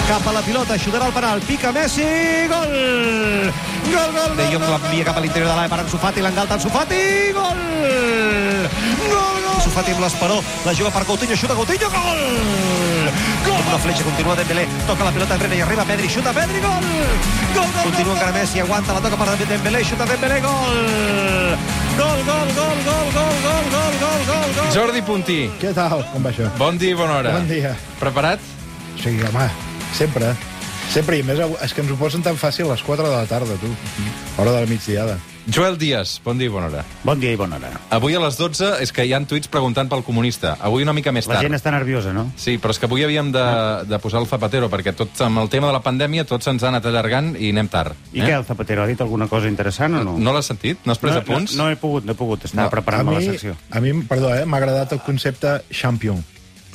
cap a la pilota, xutarà el penal, pica Messi, gol! Gol, gol, De Jong l'envia cap a l'interior de l'àrea per Ansu Fati, l'engalta Ansu Fati, gol! Gol, gol! Ansu Fati amb l'esperó, la juga per Coutinho, xuta Coutinho, gol! Gol! Una fletxa, continua Dembélé, toca la pilota enrere i arriba Pedri, xuta Pedri, gol! Gol, gol! Continua encara Messi, aguanta, la toca per Dembélé, xuta Dembélé, gol! Gol, gol, gol, gol, gol, gol, gol, gol, gol, gol! Jordi Puntí. Què tal? Com va això? Bon dia i bona hora. Bon dia. Preparat? Sí, home, sempre. Sempre, i més és que ens ho posen tan fàcil a les 4 de la tarda, tu. Hora de la migdiada. Joel Díaz, bon dia i bona hora. Bon dia i bona hora. Avui a les 12 és que hi ha tuits preguntant pel comunista. Avui una mica més tard. La gent està nerviosa, no? Sí, però és que avui havíem de posar el Zapatero, perquè tots amb el tema de la pandèmia tots se'ns ha anat allargant i anem tard. I què, el Zapatero ha dit alguna cosa interessant o no? No l'has sentit? No has pres apunts? No he pogut. Estava preparant-me la secció. A mi, perdó, m'ha agradat el concepte champion.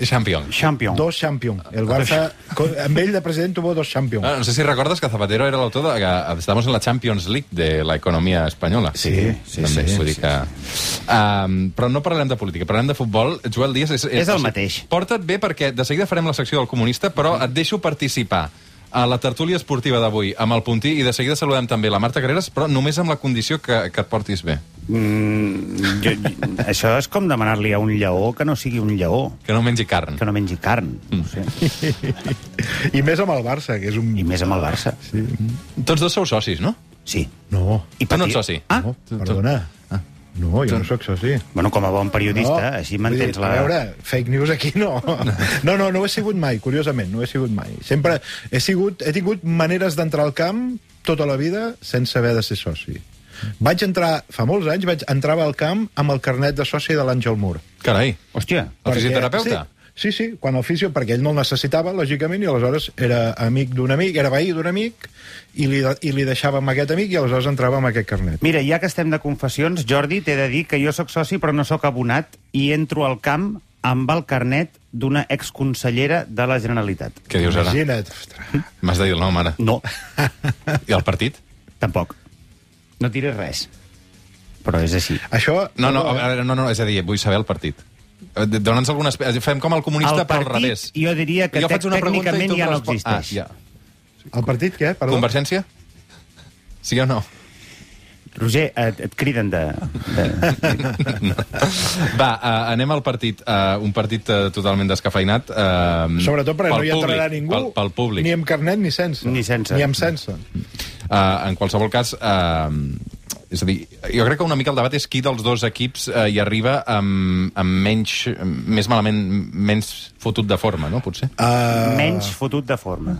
Champion. Dos champion. El Barça, amb ell de president tuvo dos champion. No sé si recordes que Zapatero era l'autor de que estamos en la Champions League de la economia espanyola. Sí. Vull dir que... però no parlarem de política, parlarem de futbol. Joel Díaz és el mateix. Porta't bé perquè de seguida farem la secció del comunista, però et deixo participar a la tertúlia esportiva d'avui amb el Puntí i de seguida saludem també la Marta Carreras, però només amb la condició que et portis bé. Això és com demanar-li a un lleó que no sigui un lleó. Que no mengi carn. Que no mengi carn. No sé. I més amb el Barça, que és un... I més amb el Barça. Sí. Tots dos sou socis, no? Sí. No. Tu no ets soci? Ah? No, perdona. No, jo no sóc soci. Bueno, com a bon periodista, així mantens la... A veure, fake news aquí no. No ho he sigut mai, curiosament, no ho he sigut mai. Sempre he tingut maneres d'entrar al camp tota la vida sense haver de ser soci. Vaig entrar, fa molts anys, entrava al camp amb el carnet de soci de l'Àngel Mur. Carai. Hòstia. El fisioterapeuta? Sí, quan el fisio, perquè ell no el necessitava, lògicament, i aleshores era amic d'un amic, era veí d'un amic, i li deixava amb aquest amic, i aleshores entrava amb aquest carnet. Mira, ja que estem de confessions, Jordi, t'he de dir que jo sóc soci però no sóc abonat i entro al camp amb el carnet d'una exconsellera de la Generalitat. Què dius ara? Imagina't. Ostres. M'has de dir el nom, ara. No. I el partit? Tampoc. No diré res. Però és així. Això... No, és a dir, vull saber el partit. Dona'ns alguna... Fem com el comunista, però al revés. Jo diria que tècnicament ja no existeix. Ja. El partit, què? Perdó. Convergència? Sí o no? Roger, et criden de... Va, anem al partit. Un partit totalment descafeinat. Sobretot perquè no hi entrarà ningú, pel públic. ni amb carnet ni sense. Ni sense. Ni amb sense. En qualsevol cas... és a dir, jo crec que una mica el debat és qui dels dos equips hi arriba amb més malament, menys fotut de forma, no? Potser? Menys fotut de forma.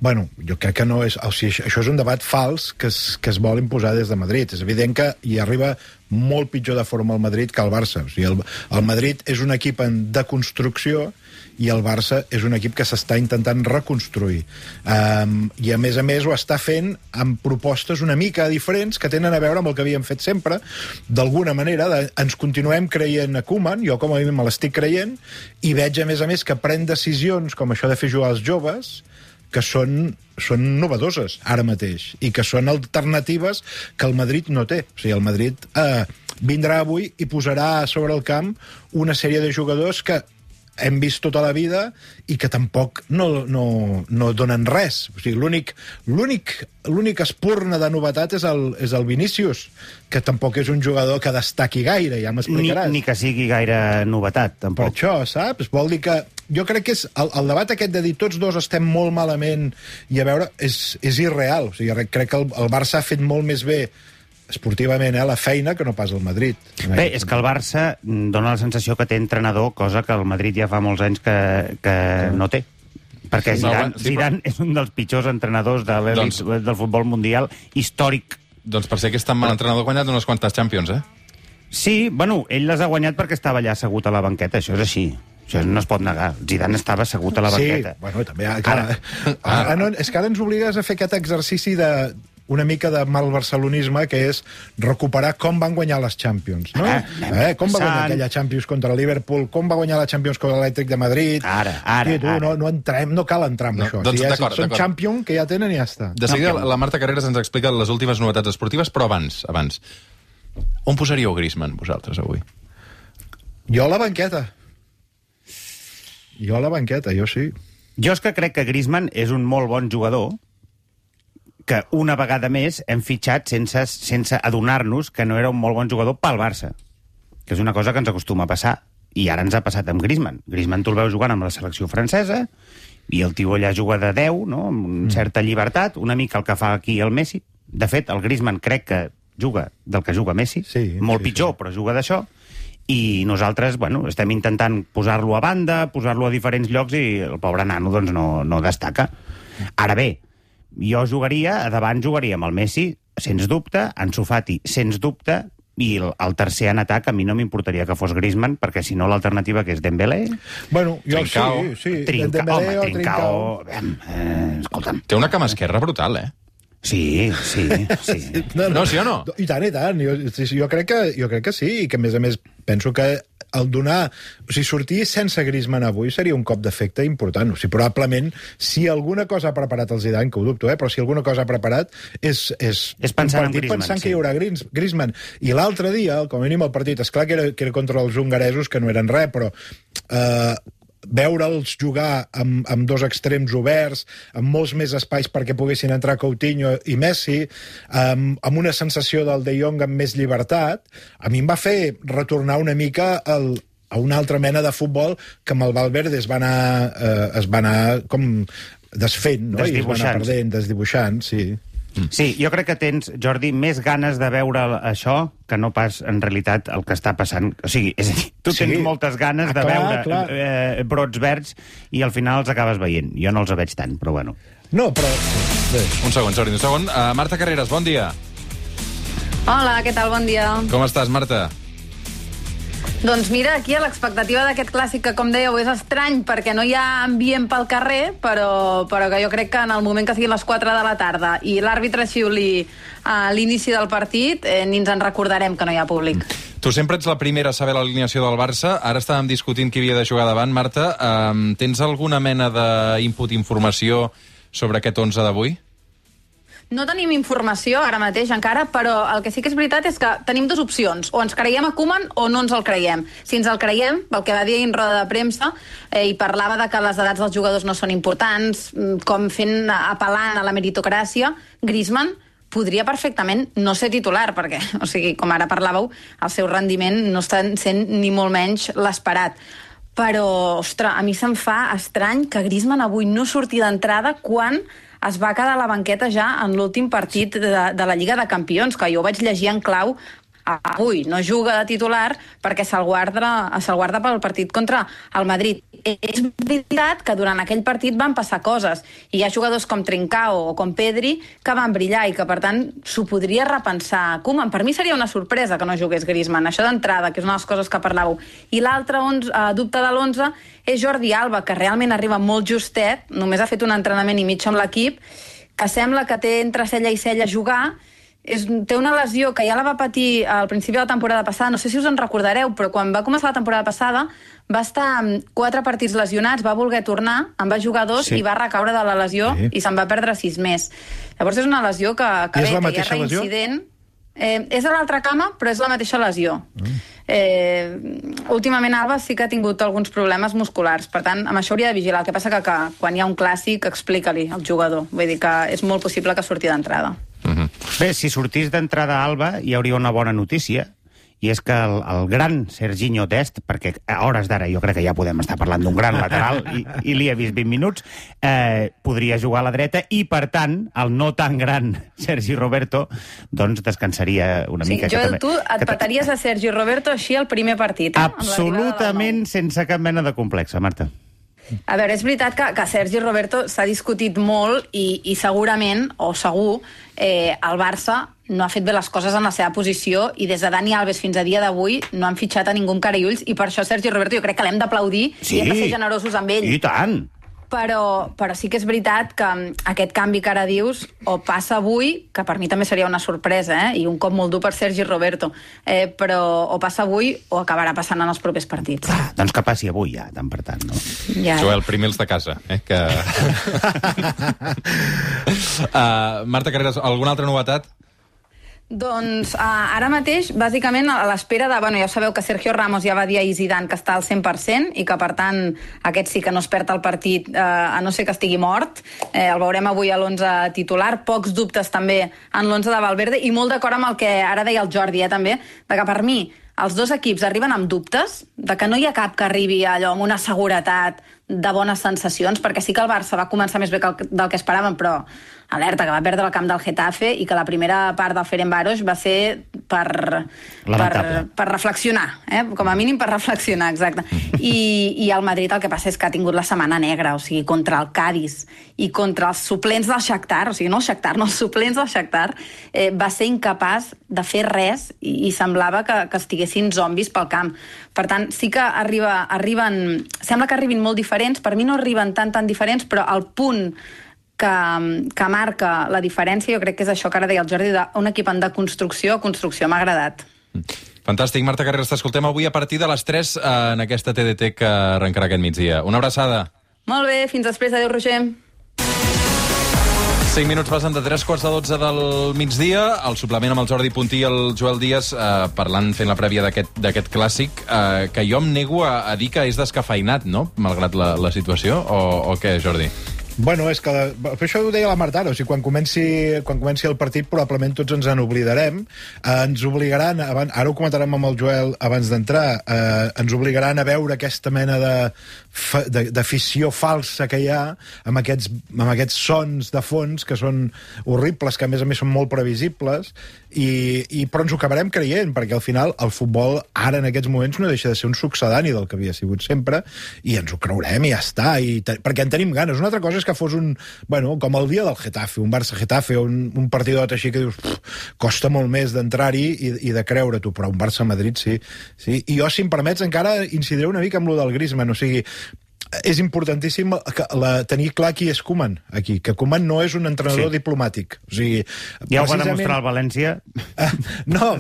Bueno, jo crec que no és... O sigui, això és un debat fals que es vol imposar des de Madrid. És evident que hi arriba molt pitjor de forma el Madrid que el Barça. O sigui, el Madrid és un equip en deconstrucció i el Barça és un equip que s'està intentant reconstruir. I a més ho està fent amb propostes una mica diferents que tenen a veure amb el que havíem fet sempre. D'alguna manera, ens continuem creient a Koeman, jo com a mi me l'estic creient, i veig a més que pren decisions com això de fer jugar els joves, que són novedoses ara mateix i que són alternatives que el Madrid no té. O sigui, el Madrid vindrà avui i posarà sobre el camp una sèrie de jugadors que hem vist tota la vida i que tampoc no donen res. O sigui, l'únic espurna de novetat és el Vinícius, que tampoc és un jugador que destaqui gaire, ja m'explicaràs. Ni que sigui gaire novetat, tampoc. Per això, saps? Vol dir que... Jo crec que és el debat aquest de dir tots dos estem molt malament i a veure, és irreal. O sigui, crec que el Barça ha fet molt més bé esportivament, la feina, que no pas el Madrid. Bé, és que el Barça dona la sensació que té entrenador, cosa que el Madrid ja fa molts anys que no té. Perquè Zidane és un dels pitjors entrenadors de l'elit del futbol mundial històric. Doncs per ser que és tan mal entrenador ha guanyat unes quantes Champions, Sí, bueno, ell les ha guanyat perquè estava allà assegut a la banqueta, això és així. Això no es pot negar. Zidane estava assegut a la banqueta. Sí, bueno, també... És que ara ens obligues a fer aquest exercici una mica de malbarcelonisme, que és recuperar com van guanyar les Champions, no? Com va guanyar aquella Champions contra el Liverpool, com va guanyar la Champions contra l'Elèctric de Madrid... No cal entrar en això. Són Champions que ja tenen i ja està. De seguida, la Marta Carreras ens explica les últimes novetats esportives, però abans. On posaríeu Griezmann, vosaltres, avui? Jo a la banqueta, jo sí. Jo és que crec que Griezmann és un molt bon jugador que una vegada més hem fitxat sense adonar-nos que no era un molt bon jugador pel Barça, que és una cosa que ens acostuma a passar. I ara ens ha passat amb Griezmann. Griezmann tu el veus jugant amb la selecció francesa i el tio allà juga de 10, no? Amb certa llibertat, una mica el que fa aquí el Messi. De fet, el Griezmann crec que juga del que juga Messi, molt pitjor, però juga d'això. I nosaltres, bueno, estem intentant posar-lo a banda, posar-lo a diferents llocs i el pobre nano doncs no destaca. Ara bé, jo a davant jugaria amb el Messi, sens dubte, Ansu Fati, sens dubte, i el tercer en atac a mi no m'importaria que fos Griezmann, perquè si no l'alternativa que és Dembélé... Bueno, jo Trincao. sí. Trincao... Escolta'm. Té una cama esquerra brutal, Sí. No, sí o no? I tant. Jo crec que sí, i que, a més, penso que el donar... O sigui, sortir sense Griezmann avui seria un cop d'efecte important. O sigui, probablement, si alguna cosa ha preparat el Zidane, que ho dubto, però si alguna cosa ha preparat és pensant en Griezmann, pensant que hi haurà Griezmann. I l'altre dia, com a mínim el partit, esclar que era contra els hongaresos, que no eren res, però... veure'ls jugar amb dos extrems oberts, amb molts més espais perquè poguessin entrar Coutinho i Messi, amb una sensació del De Jong amb més llibertat, a mi em va fer retornar una mica a una altra mena de futbol que amb el Valverde es va anar com desfent, no? I es va anar perdent, desdibuixant, sí. Sí, jo crec que tens, Jordi, més ganes de veure això que no pas, en realitat, el que està passant. O sigui, és a dir, tu tens moltes ganes de veure brots verds i al final els acabes veient. Jo no els veig tant, però bueno. No, però... Un segon, Jordi, un segon. Marta Carreras, bon dia. Hola, què tal? Bon dia. Com estàs, Marta? Doncs mira, aquí a l'expectativa d'aquest clàssic que, com dèieu, és estrany perquè no hi ha ambient pel carrer, però que jo crec que en el moment que siguin les 4 de la tarda i l'àrbitre xiuli a l'inici del partit, ni ens en recordarem que no hi ha públic. Tu sempre ets la primera a saber l'alineació del Barça. Ara estàvem discutint qui havia de jugar davant. Marta, tens alguna mena d'input, informació sobre aquest 11 d'avui? No tenim informació ara mateix encara, però el que sí que és veritat és que tenim dues opcions. O ens creiem a Koeman o no ens el creiem. Si ens el creiem, el que va dir en roda de premsa, i parlava de que les edats dels jugadors no són importants, com apel·lant a la meritocràcia, Griezmann podria perfectament no ser titular, perquè, o sigui, com ara parlàveu, el seu rendiment no està sent ni molt menys l'esperat. Però, ostres, a mi se'm fa estrany que Griezmann avui no surti d'entrada quan es va quedar a la banqueta ja en l'últim partit de la Lliga de Campions, que jo vaig llegir en clau avui. No juga de titular perquè se'l guarda pel partit contra el Madrid. És veritat que durant aquell partit van passar coses, i hi ha jugadors com Trincao o com Pedri que van brillar i que, per tant, s'ho podria repensar Koeman. Per mi seria una sorpresa que no jugués Griezmann, això d'entrada, que és una de les coses que parlàveu. I l'altre dubte de l'11 és Jordi Alba, que realment arriba molt justet, només ha fet un entrenament i mig amb l'equip, que sembla que té entre cella i cella jugar. Té una lesió que ja la va patir al principi de la temporada passada, no sé si us en recordareu, però quan va començar la temporada passada va estar 4 partits lesionats, va voler tornar, en va jugar 2 i va recaure de la lesió i se'n va perdre 6 més. Llavors és una lesió que és la mateixa lesió? És a l'altra cama, però és la mateixa lesió. Últimament Alba sí que ha tingut alguns problemes musculars, per tant, amb això hauria de vigilar. El que passa que quan hi ha un clàssic, explica-li al jugador. Vull dir que és molt possible que surti d'entrada. Bé, si sortís d'entrada Alba hi hauria una bona notícia, i és que el gran Serginho Dest, perquè a hores d'ara jo crec que ja podem estar parlant d'un gran lateral, i li he vist 20 minuts, podria jugar a la dreta, i per tant, el no tan gran Sergi Roberto, doncs descansaria una mica. Joel, tu et petaries a Sergi Roberto així el primer partit, Absolutament sense cap mena de complexa, Marta. A veure, és veritat que Sergi Roberto s'ha discutit molt i segurament, o segur, el Barça no ha fet bé les coses en la seva posició i des de Dani Alves fins a dia d'avui no han fitxat a ningú amb cara i ulls, i per això Sergi Roberto jo crec que l'hem d'aplaudir i hem de ser generosos amb ell. I tant! Però sí que és veritat que aquest canvi que ara dius o passa avui, que per mi també seria una sorpresa, i un cop molt dur per Sergi Roberto, però o passa avui o acabarà passant en els propers partits. Doncs que passi avui ja, tant per tant, no? Joel, primer els de casa, que... Marta Carreras, alguna altra novetat? Doncs ara mateix, bàsicament, a l'espera de... Bueno, ja sabeu que Sergio Ramos ja va dir a Zidane que està al 100% i que, per tant, aquest sí que no es perd el partit, a no ser que estigui mort. El veurem avui a l'11 titular. Pocs dubtes també en l'11 de Valverde i molt d'acord amb el que ara deia el Jordi, també, de que per mi els dos equips arriben amb dubtes, de que no hi ha cap que arribi allò amb una seguretat de bones sensacions, perquè sí que el Barça va començar més bé del que esperàvem, però alerta, que va perdre el camp del Getafe i que la primera part del Ferencváros va ser per reflexionar, com a mínim per reflexionar, exacte. I el Madrid el que passa és que ha tingut la setmana negra, o sigui, contra el Cádiz i contra els suplents del Shakhtar, o sigui, no el Shakhtar, no, els suplents del Shakhtar, va ser incapaç de fer res i semblava que estiguessin zombis pel camp. Per tant, sí que arriben... Sembla que arribin molt diferents, per mi no arriben tan diferents, però el punt que marca la diferència, jo crec que és això que ara deia el Jordi, d'un equip en deconstrucció o construcció. M'ha agradat. Fantàstic. Marta Carreras, t'escoltem avui a partir de les 3 en aquesta TDT que arrencarà aquest migdia. Una abraçada. Molt bé, fins després. Adéu, Roger. 5 minuts passen de 3:45 del migdia. El suplement amb el Jordi Puntí i el Joel Díaz parlant, fent la prèvia d'aquest clàssic, que jo em nego a dir que és descafeinat, no?, malgrat la situació, o què, Jordi? Bueno, és que... això ho deia la Marta ara, o sigui, quan comenci el partit probablement tots ens en oblidarem. Ens obligaran, ara ho comentarem amb el Joel abans d'entrar, ens obligaran a veure aquesta mena d'afició falsa que hi ha amb aquests sons de fons que són horribles, que a més són molt previsibles, però ens ho acabarem creient, perquè al final el futbol ara en aquests moments no deixa de ser un succedani del que havia sigut sempre, i ens ho creurem i ja està, perquè en tenim ganes. Una altra cosa és que fos com el dia del Getafe, un Barça-Getafe, un partidot així que dius, costa molt més d'entrar-hi i de creure-t'ho, però un Barça-Madrid sí. I jo, si em permets, encara incidiré una mica amb lo del Griezmann, o sigui, és importantíssim tenir clar qui és Koeman aquí, que Koeman no és un entrenador diplomàtic. O sigui, ja ho va demostrar el València. No,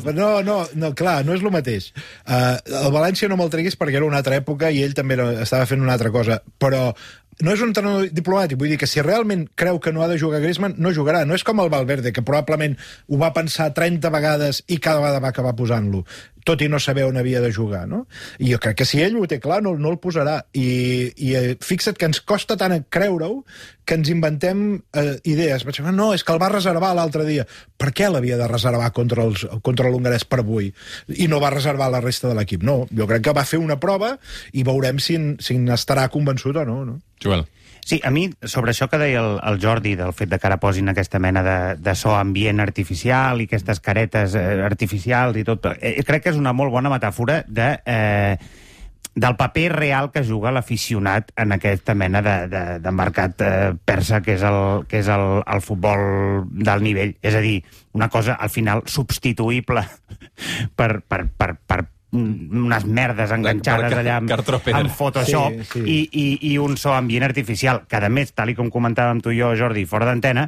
clar, no és el mateix. El València no me'l treguis perquè era una altra època i ell també estava fent una altra cosa, però no és un entrenador diplomàtic, vull dir que si realment creu que no ha de jugar Griezmann, no jugarà. No és com el Valverde, que probablement ho va pensar 30 vegades i cada vegada va acabar posant-lo, tot i no saber on havia de jugar, no? I jo crec que si ell ho té clar, no el posarà. I fixa't que ens costa tant creure-ho que ens inventem idees. No, és que el va reservar l'altre dia. Per què l'havia de reservar contra l'hongarès per avui? I no va reservar la resta de l'equip. No, jo crec que va fer una prova i veurem si n'estarà convençut o no. Joel. Sí, a mi, sobre això que deia el Jordi, del fet de que ara posin aquesta mena de so ambient artificial i aquestes caretes artificials i tot, crec que és una molt bona metàfora del paper real que juga l'aficionat en aquesta mena d'embarcat persa que és el futbol d'alt nivell. És a dir, una cosa, al final, substituïble per unes merdes enganxades allà amb Photoshop i un so ambient artificial, que a més, tal com comentàvem tu i jo, Jordi, fora d'antena,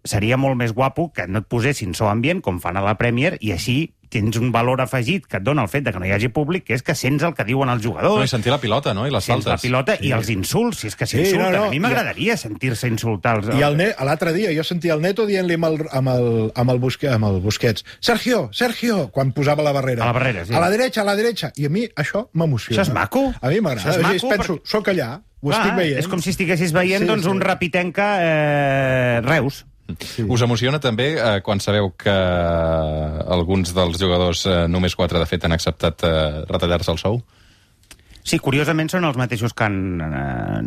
seria molt més guapo que no et posessin so ambient com fan a la Premier, i així tens un valor afegit que et dona el fet de que no hi hagi públic, que és que sents el que diuen els jugadors. No, i sentir la pilota, no? I les faltes. Sents la pilota i els insults, si és que s'insulten. A mi m'agradaria sentir-se insultar. I l'altre dia jo sentia el Neto dient-li amb el Busquets, Sergio, quan posava la barrera. A la barrera, sí. A la derecha. I a mi això m'emociona. Això és maco. A mi m'agrada. Penso, soc allà, ho estic veient. És com si estiguessis veient un Rapitenca Reus. Sí. Us emociona també quan sabeu que alguns dels jugadors, només 4 de fet, han acceptat retallar-se el sou? Sí, curiosament són els mateixos que han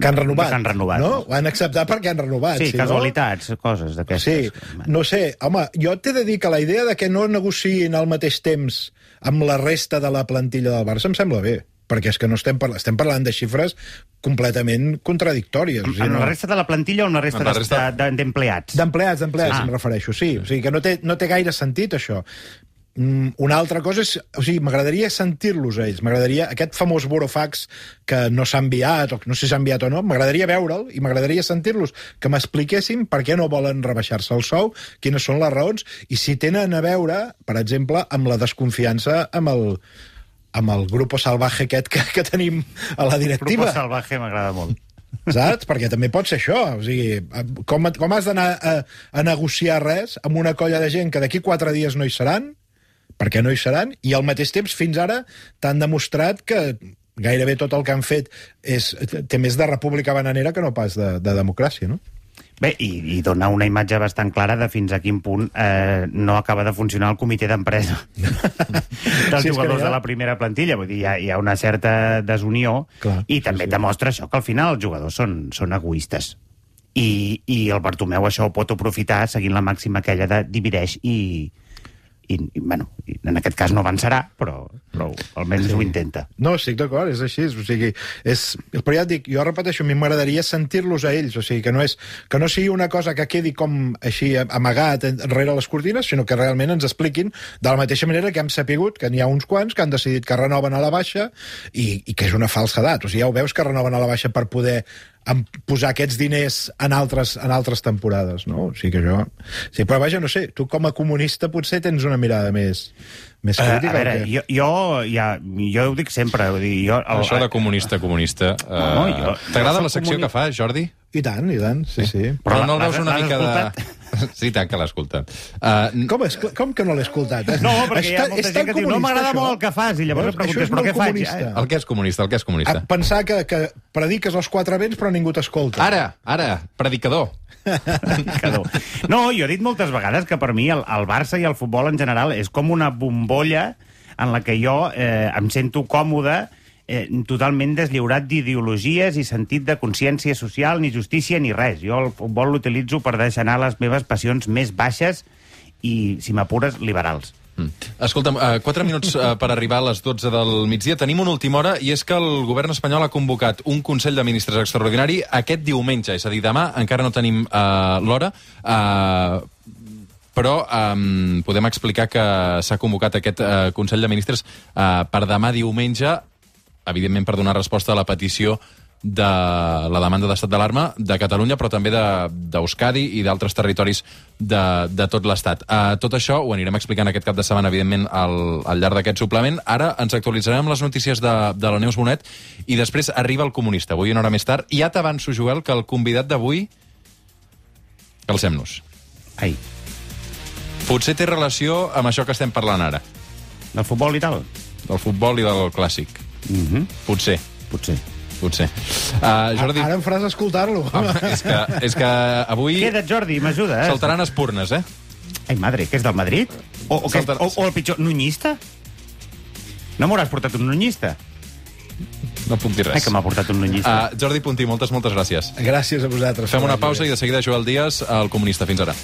renovat. No? Ho han acceptat perquè han renovat. Sí, casualitats, coses d'aquestes. Sí, no sé, home, jo t'he de dir que la idea de que no negociïn al mateix temps amb la resta de la plantilla del Barça em sembla bé, perquè és que no estem parlant de xifres completament contradictòries. Amb la resta de la plantilla o amb la resta d'empleats? D'empleats, em refereixo, sí. O sigui que no té gaire sentit, això. Una altra cosa és... O sigui, m'agradaria sentir-los a ells. M'agradaria... Aquest famós burofax que no s'ha enviat, o no sé si s'ha enviat o no, m'agradaria veure'l i m'agradaria sentir-los, que m'expliquessin per què no volen rebaixar-se el sou, quines són les raons, i si tenen a veure, per exemple, amb la desconfiança amb el grupo salvaje aquest que tenim a la directiva. El grupo salvaje m'agrada molt. Saps? Perquè també pot ser això. O sigui, com has d'anar a negociar res amb una colla de gent que d'aquí 4 dies no hi seran, perquè no hi seran, i al mateix temps fins ara t'han demostrat que gairebé tot el que han fet té més de república bananera que no pas de democràcia, no? Bé, i dona una imatge bastant clara de fins a quin punt no acaba de funcionar el comitè d'empresa dels jugadors de la primera plantilla. Vull dir, hi ha una certa desunió. Clar, i també demostra això, que al final els jugadors són egoistes. I el Bartomeu això ho pot aprofitar seguint la màxima aquella de divideix i bueno, en aquest cas no avançarà, però almenys ho intenta. No, estic d'acord, és així. O sigui, però ja et dic, jo repeteixo, a mi m'agradaria sentir-los a ells, o sigui, que no sigui una cosa que quedi com així amagat rere les cortines, sinó que realment ens expliquin de la mateixa manera que hem sapigut que n'hi ha uns quants que han decidit que renoven a la baixa i que és una falsedat. O sigui, ja ho veus que renoven a la baixa per poder posar aquests diners en altres temporades, no? O sigui que jo... Sí, però vaja, no sé, tu com a comunista potser tens una mirada més crítica. A veure, jo ho dic sempre. Això de comunista... T'agrada la secció que fa, Jordi? I tant, sí. Però no el veus una mica de... Sí, tant que l'ha escoltat. Com que no l'he escoltat? No, perquè hi ha molta gent que diu no m'agrada molt el que fas, i llavors em preguntes, però què faig? El que és comunista. Pensar que prediques els 4 vents però ningú t'escolta. Ara, predicador. No, jo he dit moltes vegades que per mi el Barça i el futbol en general és com una bombolla en la que jo em sento còmode, totalment deslliurat d'ideologies i sentit de consciència social, ni justícia ni res. Jo el futbol l'utilitzo per deixar anar les meves passions més baixes i, si m'apures, liberals. Escolta'm, 4 minuts per arribar a les 12 del migdia. Tenim una última hora, i és que el govern espanyol ha convocat un Consell de Ministres extraordinari aquest diumenge, és a dir, demà. Encara no tenim l'hora, però podem explicar que s'ha convocat aquest Consell de Ministres per demà diumenge, evidentment per donar resposta a la petició de la demanda d'estat d'alarma de Catalunya, però també d'Euskadi i d'altres territoris de tot l'Estat. Tot això ho anirem explicant aquest cap de setmana, evidentment, al llarg d'aquest suplement. Ara ens actualitzarem les notícies de la Neus Bonet i després arriba el comunista, avui una hora més tard. I ja t'avanço, Joel, que el convidat d'avui... Calcem-nos. Ai. Potser té relació amb això que estem parlant ara. Del futbol i tal? Del futbol i del clàssic. Potser. Jordi... Ara em faràs escoltar-lo. És que avui... Queda't, Jordi, m'ajuda. Saltaran espurnes, Ai, madre, que és del Madrid? O el pitjor, nunyista? No m'hauràs portat un nunyista? No puc dir res. Ai, que m'ha portat un nunyista. Jordi Puntí, moltes gràcies. Gràcies a vosaltres. Fem una pausa i de seguida Joel Díaz, el comunista. Fins ara.